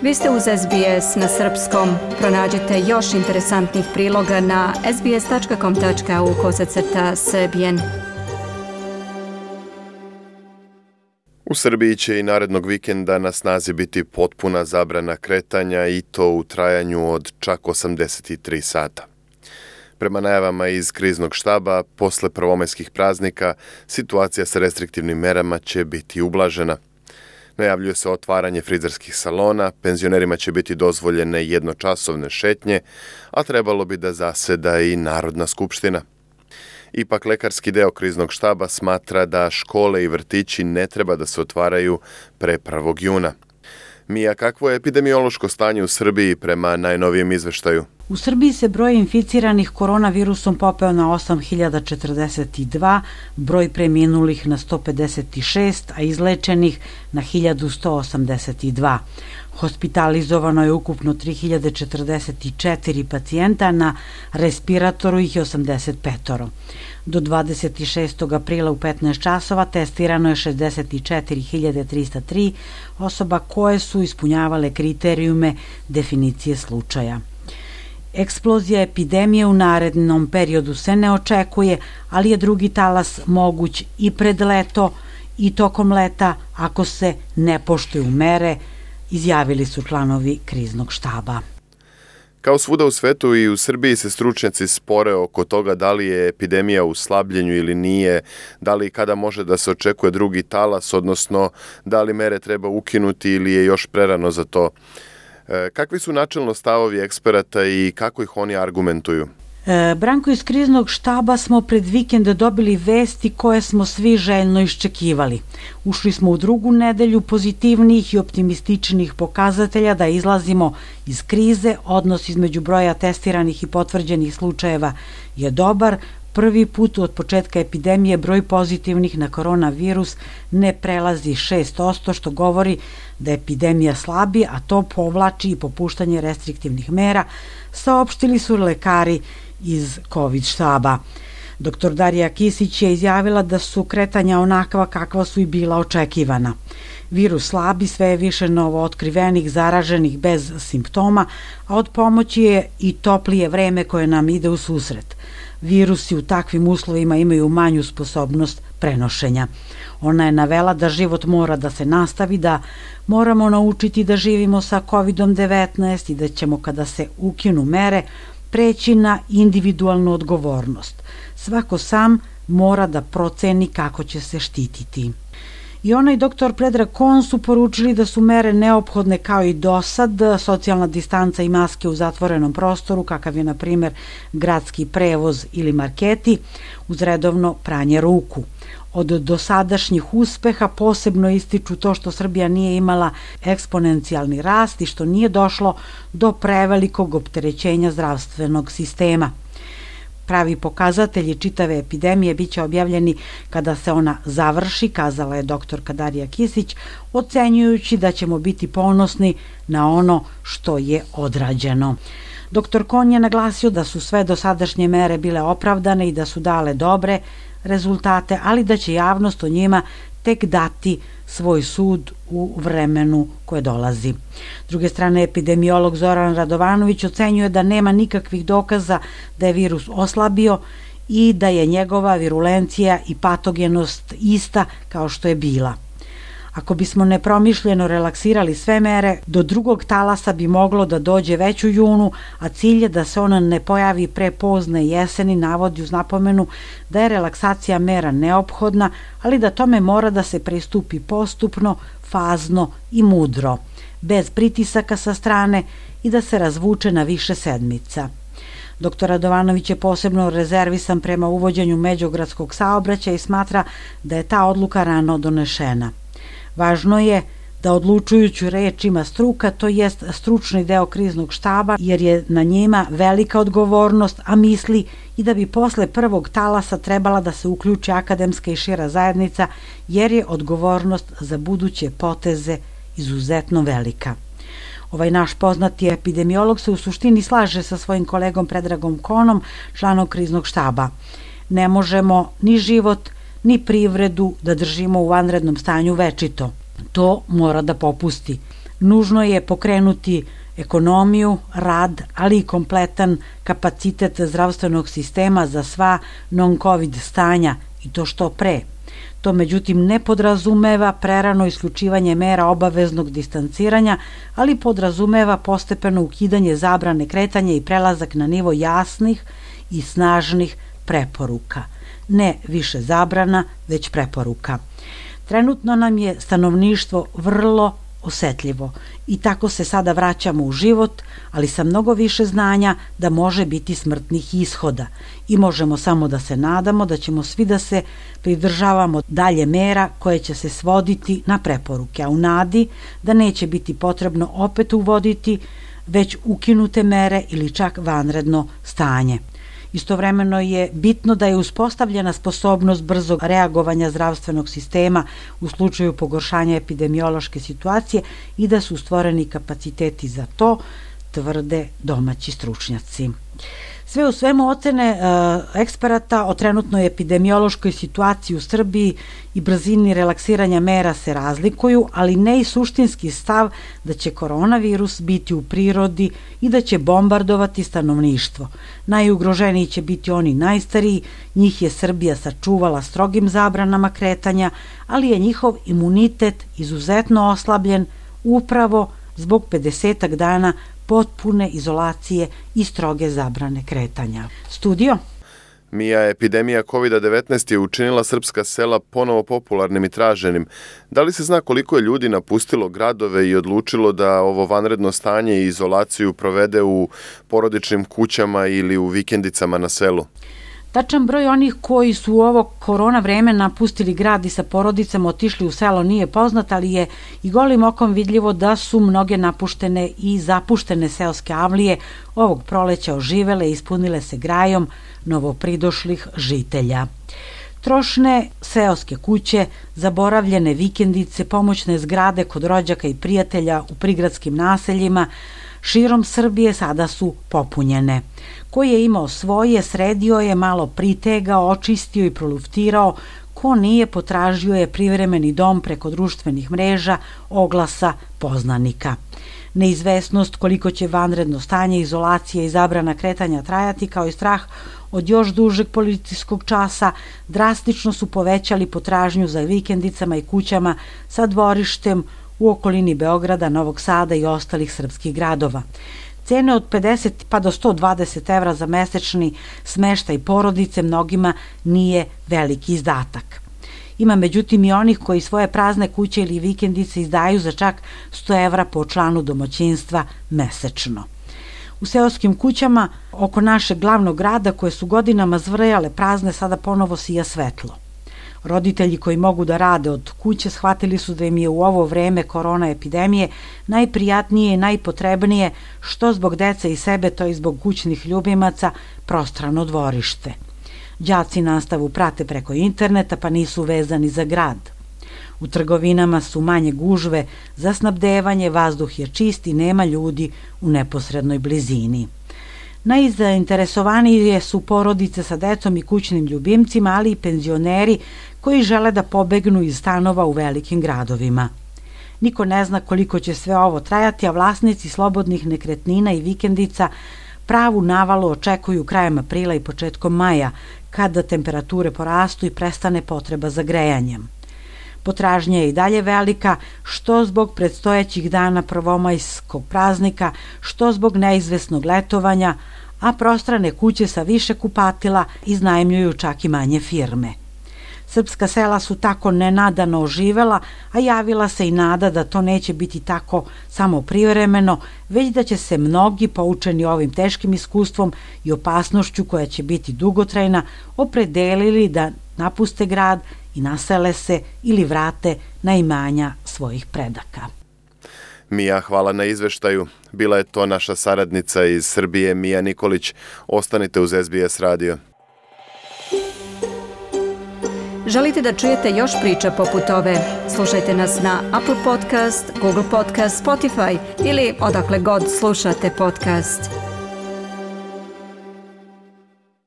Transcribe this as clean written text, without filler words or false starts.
Vi ste uz SBS na srpskom. Pronađite još interesantnih priloga na sbs.com.au/srbijen. U Srbiji će i narednog vikenda na snazi biti potpuna zabrana kretanja i to u trajanju od čak 83 sata. Prema najavama iz kriznog štaba, posle prvomajskih praznika, situacija sa restriktivnim merama će biti ublažena. Najavljuje se otvaranje frizerskih salona, penzionerima će biti dozvoljene jednočasovne šetnje, a trebalo bi da zaseda i Narodna skupština. Ipak lekarski deo kriznog štaba smatra da škole i vrtići ne treba da se otvaraju pre 1. juna. Mija, kakvo je epidemiološko stanje u Srbiji prema najnovijem izveštaju? U Srbiji se broj inficiranih koronavirusom popeo na 8.042, broj preminulih na 156, a izlečenih na 1.182. Hospitalizovano je ukupno 3.044 pacijenta, na respiratoru ih je 85. Do 26. aprila u 15 časova testirano je 64.303 osoba koje su ispunjavale kriterijume definicije slučaja. Eksplozija epidemije u narednom periodu se ne očekuje, ali je drugi talas moguć i pred leto i tokom leta ako se ne poštuju mere, izjavili su članovi kriznog štaba. Kao svuda u svetu i u Srbiji se stručnjaci spore oko toga da li je epidemija u slabljenju ili nije, da li i kada može da se očekuje drugi talas, odnosno da li mere treba ukinuti ili je još prerano za to. Kakvi su načelno stavovi eksperata i kako ih oni argumentuju? Branko, iz kriznog štaba smo pred vikend dobili vesti koje smo svi željno iščekivali. Ušli smo u drugu nedelju pozitivnih i optimističnih pokazatelja da izlazimo iz krize. Odnos između broja testiranih i potvrđenih slučajeva je dobar. Prvi put od početka epidemije broj pozitivnih na koronavirus ne prelazi 6%, što govori da epidemija slabi, a to povlači i popuštanje restriktivnih mera, saopštili su lekari iz COVID štaba. Dr. Darija Kisić je izjavila da su kretanja onakva kakva su i bila očekivana. Virus slabi, sve je više novootkrivenih zaraženih bez simptoma, a od pomoći je i toplije vreme koje nam ide u susret. Virusi u takvim uslovima imaju manju sposobnost prenošenja. Ona je navela da život mora da se nastavi, da moramo naučiti da živimo sa COVID-19 i da ćemo, kada se ukinu mere, preći na individualnu odgovornost. Svako sam mora da proceni kako će se štititi. I ona i dr. Predrag Kon su poručili da su mere neophodne kao i do sad, socijalna distanca i maske u zatvorenom prostoru, kakav je na primjer gradski prevoz ili marketi, uz redovno pranje ruku. Od dosadašnjih uspeha posebno ističu to što Srbija nije imala eksponencijalni rast i što nije došlo do prevelikog opterećenja zdravstvenog sistema. Pravi pokazatelji čitave epidemije biće objavljeni kada se ona završi, kazala je dr. Darija Kisić, ocenjujući da ćemo biti ponosni na ono što je odrađeno. Dr. Kon je naglasio da su sve dosadašnje mere bile opravdane i da su dale dobre rezultate, ali da će javnost o njima tek dati svoj sud u vremenu koje dolazi. S druge strane, epidemiolog Zoran Radovanović ocenjuje da nema nikakvih dokaza da je virus oslabio i da je njegova virulencija i patogenost ista kao što je bila. Ako bismo nepromišljeno relaksirali sve mere, do drugog talasa bi moglo da dođe već u junu, a cilj je da se ona ne pojavi pre pozne jeseni, navodi uz napomenu da je relaksacija mera neophodna, ali da tome mora da se pristupi postupno, fazno i mudro, bez pritisaka sa strane i da se razvuče na više sedmica. Dr. Radovanović je posebno rezervisan prema uvođenju međugradskog saobraćaja i smatra da je ta odluka rano donešena. Važno je da odlučujuću reč ima struka, to jest stručni deo kriznog štaba, jer je na njima velika odgovornost, a misli i da bi posle prvog talasa trebala da se uključi akademska i šira zajednica, jer je odgovornost za buduće poteze izuzetno velika. Ovaj naš poznati epidemiolog se u suštini slaže sa svojim kolegom Predragom Konom, članom kriznog štaba. Ne možemo ni život, ni privredu da držimo u vanrednom stanju večito. To mora da popusti. Nužno je pokrenuti ekonomiju, rad, ali i kompletan kapacitet zdravstvenog sistema za sva non-covid stanja i to što pre. To međutim ne podrazumeva prerano isključivanje mera obaveznog distanciranja, ali podrazumeva postepeno ukidanje zabrane kretanja i prelazak na nivo jasnih i snažnih preporuka. Ne više zabrana, već preporuka. Trenutno nam je stanovništvo vrlo osetljivo i tako se sada vraćamo u život, ali sa mnogo više znanja da može biti smrtnih ishoda i možemo samo da se nadamo da ćemo svi da se pridržavamo dalje mera koje će se svoditi na preporuke, a u nadi da neće biti potrebno opet uvoditi već ukinute mere ili čak vanredno stanje. Istovremeno je bitno da je uspostavljena sposobnost brzog reagovanja zdravstvenog sistema u slučaju pogoršanja epidemiološke situacije i da su stvoreni kapaciteti za to, tvrde domaći stručnjaci. Sve u svemu ocene eksperata o trenutnoj epidemiološkoj situaciji u Srbiji i brzini relaksiranja mera se razlikuju, ali ne i suštinski stav da će koronavirus biti u prirodi i da će bombardovati stanovništvo. Najugroženiji će biti oni najstariji, njih je Srbija sačuvala strogim zabranama kretanja, ali je njihov imunitet izuzetno oslabljen upravo zbog 50 dana potpune izolacije i stroge zabrane kretanja. Studio? Mija, epidemija COVID-19 je učinila srpska sela ponovo popularnim i traženim. Da li se zna koliko je ljudi napustilo gradove i odlučilo da ovo vanredno stanje i izolaciju provede u porodičnim kućama ili u vikendicama na selu? Tačan broj onih koji su u ovo korona vreme napustili grad i sa porodicama otišli u selo nije poznat, ali je i golim okom vidljivo da su mnoge napuštene i zapuštene seoske avlije ovog proleća oživele i ispunile se grajom novopridošlih žitelja. Trošne seoske kuće, zaboravljene vikendice, pomoćne zgrade kod rođaka i prijatelja u prigradskim naseljima širom Srbije sada su popunjene. Ko je imao svoje, sredio je, malo pritegao, očistio i proluftirao, ko nije, potražio je privremeni dom preko društvenih mreža, oglasa, poznanika. Neizvesnost koliko će vanredno stanje, izolacija i zabrana kretanja trajati, kao i strah od još dužeg policijskog časa, drastično su povećali potražnju za vikendicama i kućama sa dvorištem u okolini Beograda, Novog Sada i ostalih srpskih gradova. Cene od 50 pa do 120 evra za mesečni smeštaj porodice mnogima nije veliki izdatak. Ima međutim i onih koji svoje prazne kuće ili vikendice izdaju za čak 100 evra po članu domaćinstva mesečno. U seoskim kućama oko našeg glavnog grada, koje su godinama zvrjale prazne, sada ponovo sija svetlo. Roditelji koji mogu da rade od kuće shvatili su da im je u ovo vreme korona epidemije najprijatnije i najpotrebnije, što zbog dece i sebe, to i zbog kućnih ljubimaca, prostrano dvorište. Đaci nastavu prate preko interneta pa nisu vezani za grad. U trgovinama su manje gužve za snabdevanje, vazduh je čist i nema ljudi u neposrednoj blizini. Najzainteresovanije su porodice sa decom i kućnim ljubimcima, ali i penzioneri koji žele da pobegnu iz stanova u velikim gradovima. Niko ne zna koliko će sve ovo trajati, a vlasnici slobodnih nekretnina i vikendica pravu navalu očekuju krajem aprila i početkom maja, kada temperature porastu i prestane potreba za grejanjem. Potražnja je i dalje velika, što zbog predstojećih dana prvomajskog praznika, što zbog neizvesnog letovanja, a prostrane kuće sa više kupatila iznajmljuju čak i manje firme. Srpska sela su tako nenadano oživela, a javila se i nada da to neće biti tako samo privremeno, već da će se mnogi, poučeni ovim teškim iskustvom i opasnošću koja će biti dugotrajna, opredelili da napuste grad i nasele se ili vrate na imanja svojih predaka. Mija, hvala na izveštaju. Bila je to naša saradnica iz Srbije, Mija Nikolić. Ostanite uz SBS radio. Želite da čujete još priča poput ove? Slušajte nas na Apple Podcast, Google Podcast, Spotify ili odakle god slušate podcast.